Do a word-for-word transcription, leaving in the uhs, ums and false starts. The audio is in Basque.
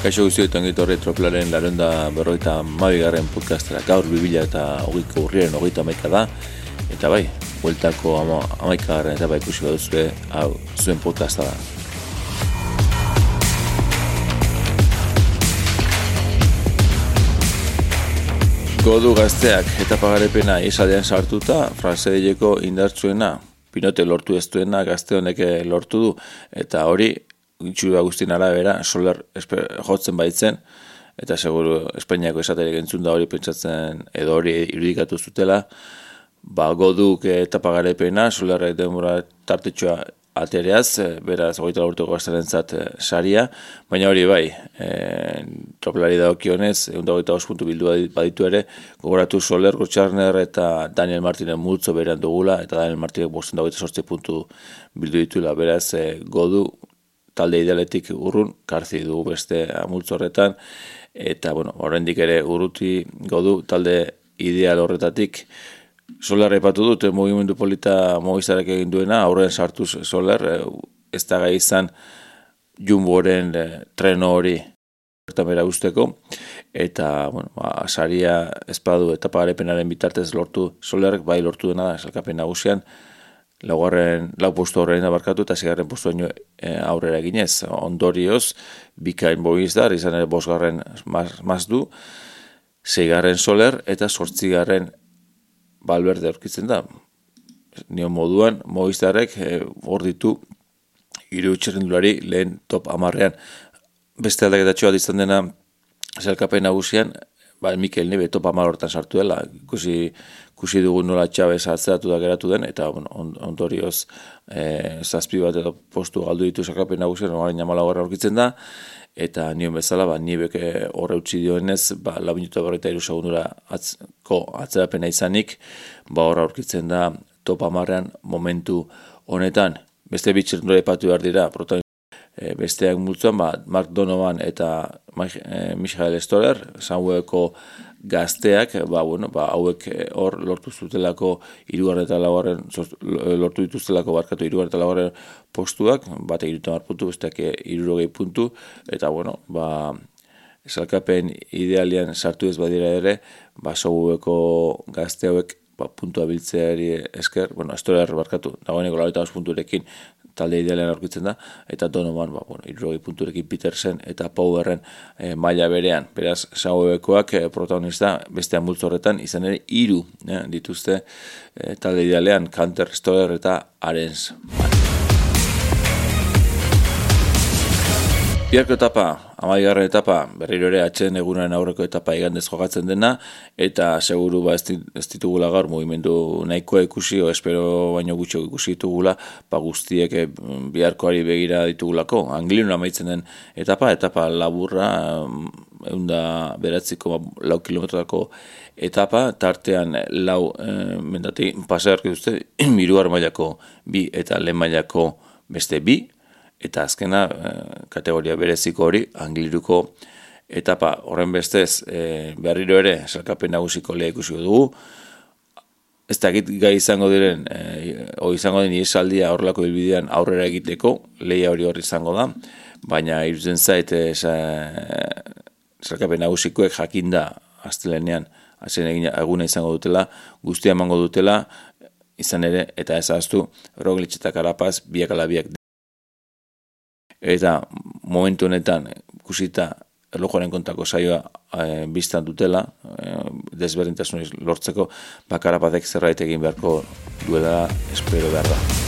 Kaixo guztioi eta ongitorri Tropelaren laurehun berrogeita hamabigarren podcastera. Gaur bi mila hogeiko urriaren hogeita hamaika da. Eta bai, bueltako hamaikagarren eta bai ikusi baduzue, hau zuen podcasta da. Godu gazteak etapa garepena isaldean sartuta, Fransedileko indartzuena, Pinote lortu ez duena gazte honek lortu du, eta hori itxura guztien arabera, Soler jotzen baitzen, eta seguru Espainiako esaterik entzun da hori pentsatzen edo hori irudikatu zutela, ba Goduk etapa garepena, Solerrek denbora tartetxoa atereaz, beraz, hogeita lau urteko gazterentzat saria, baina hori bai, e, tropelari dagokionez, ehun eta hogeita bost puntu bildu baditu ere, gogoratu Soler, Gotxarner eta Daniel Martinen multzo berean dugula, eta Daniel Martinek bosten hogeita zortzi puntu bildu dituela, beraz, e, Godu talde idealetik urrun, karzi dugu beste multzo horretan, eta, bueno, oraindik ere urruti Godu talde ideal horretatik. Soler aipatu dut, mugimendu polita Movistarek egin duena, aurrean sartuz Soler, ez da gai izan Jumboren treno hori bertan bera usteko, eta, bueno, ba, saria espadu etapa garepenaren bitartez lortu Solerrek, bai lortu dena da, esalkapen nagusian, laugarren, lau postu horrein abarkatu eta zigarren postu baino e, aurrera eginez. Ondorioz, bikain Movistar, izan ere bosgarren maz du, zeigarren Soler eta sortzigarren Valverde aurkitzen da. Nio moduan, Movistarrek hor e, ditu hiru txirrindulari lehen top hamarrean. Beste aldaketatxoa izan dena zelkapen nagusian, ba, Mikel Nieve top hamar hortan sartu dela, ikusi, ikusi dugu nola Txabez atzeratu da geratu den, eta bueno, ondorioz e, zazpi bat edo postu galdu ditu zelkapen nagusian, orain hamalaugarren aurkitzen da, eta nion bezala, ba, Niebek horre utzi dioenez, ba, lau minutu berrogeita hiru segundura atzko atzerapena izanik, ba, horra aurkitzen da top hamarrean momentu honetan. Beste bitxertundura epatu behar dira, protagonista. E, besteak multzuan, ba, Mark Donovan eta e, Michael Stoller, Samueleko gazteak, ba, bueno, ba, hauek hor lortu zutelako hirugarren eta laugarren, lortu dituztelako barkatu hirugarren eta laugarren postuak, bate hirurogeita hamar puntu, besteak hirurogei puntu, eta, bueno, ba, esalkapen idealian sartu ez badira ere, ba, Samueleko gazte hauek, ba, puntua biltzeari esker, bueno, Stoller barkatu, dagoeneko laurogeita bost punturekin, talde idealean aurkitzen da, eta Donovan, ba, bueno, hirurogei punturekin Petersen eta Powerren e, maila berean. Beraz, Saubekoak e, protagonista bestean multzo horretan, izan ere hiru e, dituzte e, talde idealean, Kanter, Stoller eta Arens. Biharko etapa, hamabigarren etapa, berriro ere atxeden egunaren aurreko etapa igandez jokatzen dena, eta seguru ba ez ditugula gaur mugimendu nahikoa ikusi, o espero baino gutxo ikusi ditugula, ba guztiek biharkoari begira ditugulako. Anglinon amaitzen den etapa, etapa laburra, eunda beratziko lau kilometrotako etapa, tartean lau e, mendati pasearki duzte, hirugar mailako bi eta lehen mailako beste bi, eta azkena kategoria bereziko hori, Angliruko etapa horren bestez e, berriro ere salkapen nagusiko lehia ikusi dugu. Ez dakit gai izango diren, e, o izango den iesaldia horrelako bilbidean aurrera egiteko, lehia hori hori izango da, baina irutzen zait e, salkapen nagusikoek jakinda astelenean hasen egin eguna izango dutela, guztia emango dutela, izan ere, eta ez ahaztu, Roglic eta Carapaz biak ala biak. Eta momentu honetan ikusita erlojuaren kontako saioa e, biztan dutela, e, desberdintasun lortzeko, ba Carapazek zerbait egin beharko duela espero behar da.